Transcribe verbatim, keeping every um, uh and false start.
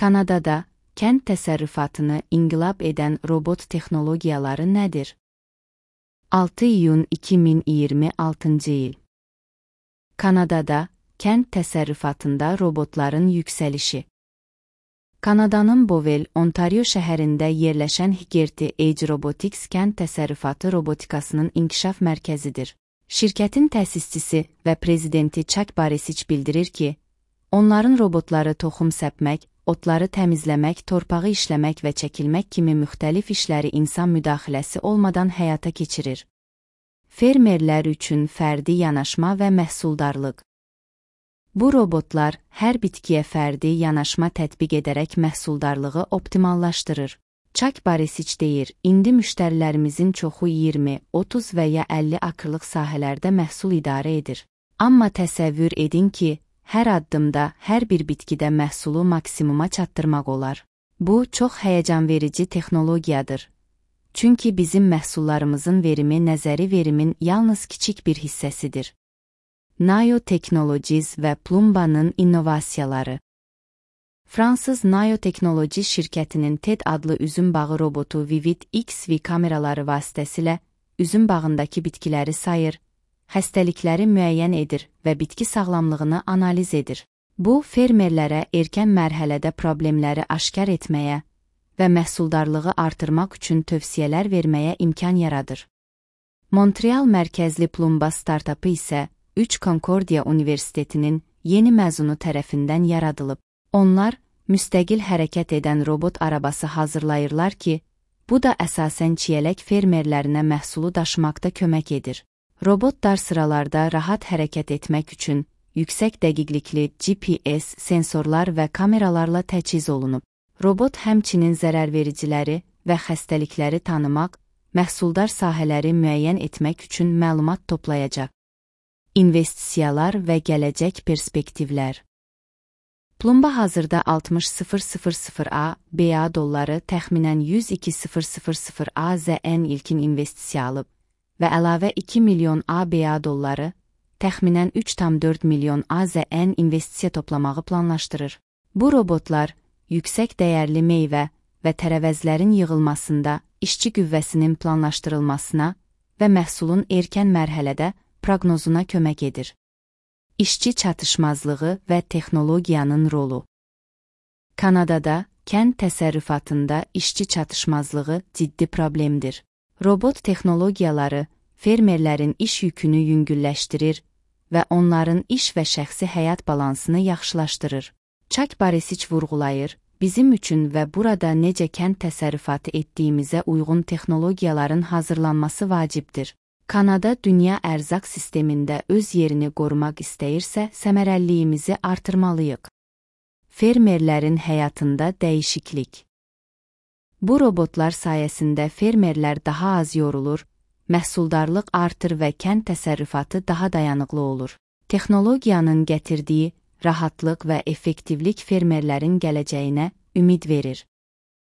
Kanadada kənd təsərrüfatını inqilab edən robot texnologiyaları nədir? altı iyun iki min iyirmi altıncı il. Kanadada kənd təsərrüfatında robotların yüksəlişi. Kanadanın Bovel, Ontario şəhərində yerləşən Higerty Age Robotics kənd təsərrüfatı robotikasının inkişaf mərkəzidir. Şirkətin təsisçisi və prezidenti Chuck Barisic bildirir ki, onların robotları toxum səpmək, otları təmizləmək, torpağı işləmək və çəkilmək kimi müxtəlif işləri insan müdaxiləsi olmadan həyata keçirir. Fermerlər üçün fərdi yanaşma və məhsuldarlıq. Bu robotlar hər bitkiyə fərdi yanaşma tətbiq edərək məhsuldarlığı optimallaşdırır. Chuck Barisic deyir, indi müştərilərimizin çoxu iyirmi, otuz və ya əlli akrlıq sahələrdə məhsul idarə edir. Amma təsəvvür edin ki, hər addımda, hər bir bitkidə məhsulu maksimuma çatdırmaq olar. Bu, çox həyəcanverici texnologiyadır. Çünki bizim məhsullarımızın verimi nəzəri verimin yalnız kiçik bir hissəsidir. Nayo Technologies və Plumba'nın innovasiyaları. Fransız Nayo Technologies şirkətinin T E D adlı üzüm bağı robotu Vivid X V kameraları vasitəsilə üzüm bağındakı bitkiləri sayır, xəstəlikləri müəyyən edir və bitki sağlamlığını analiz edir. Bu, fermerlərə erkən mərhələdə problemləri aşkar etməyə və məhsuldarlığı artırmaq üçün tövsiyələr verməyə imkan yaradır. Montreal mərkəzli Plumba startapı isə üç Concordia Universitetinin yeni məzunu tərəfindən yaradılıb. Onlar, müstəqil hərəkət edən robot arabası hazırlayırlar ki, bu da əsasən çiyələk fermerlərinə məhsulu daşımaqda kömək edir. Robot dar sıralarda rahat hərəkət etmək üçün yüksək dəqiqlikli G P S sensorlar və kameralarla təchiz olunub. Robot həmçinin zərərvericiləri və xəstəlikləri tanımaq, məhsuldar sahələri müəyyən etmək üçün məlumat toplayacaq. İnvestisiyalar və gələcək perspektivlər. Plumba hazırda altmış min A B A dolları təxminən yüz iki min A Z N ilkin investisiya alıb və əlavə iki milyon A B A dolları, təxminən üç tam dörd milyon A Z N investisiya toplamağı planlaşdırır. Bu robotlar, yüksək dəyərli meyvə və tərəvəzlərin yığılmasında, işçi qüvvəsinin planlaşdırılmasına və məhsulun erkən mərhələdə proqnozuna kömək edir. İşçi çatışmazlığı və texnologiyanın rolu. Kanadada kənd təsərrüfatında işçi çatışmazlığı ciddi problemdir. Robot texnologiyaları fermerlərin iş yükünü yüngülləşdirir və onların iş və şəxsi həyat balansını yaxşılaşdırır. Chuck Barisic vurğulayır, bizim üçün və burada necə kənd təsərrüfatı etdiyimizə uyğun texnologiyaların hazırlanması vacibdir. Kanada dünya ərzaq sistemində öz yerini qorumaq istəyirsə, səmərəliliyimizi artırmalıyıq. Fermerlərin həyatında dəyişiklik. Bu robotlar sayəsində fermerlər daha az yorulur, məhsuldarlıq artır və kənd təsərrüfatı daha dayanıqlı olur. Texnologiyanın gətirdiyi rahatlıq və effektivlik fermerlərin gələcəyinə ümid verir.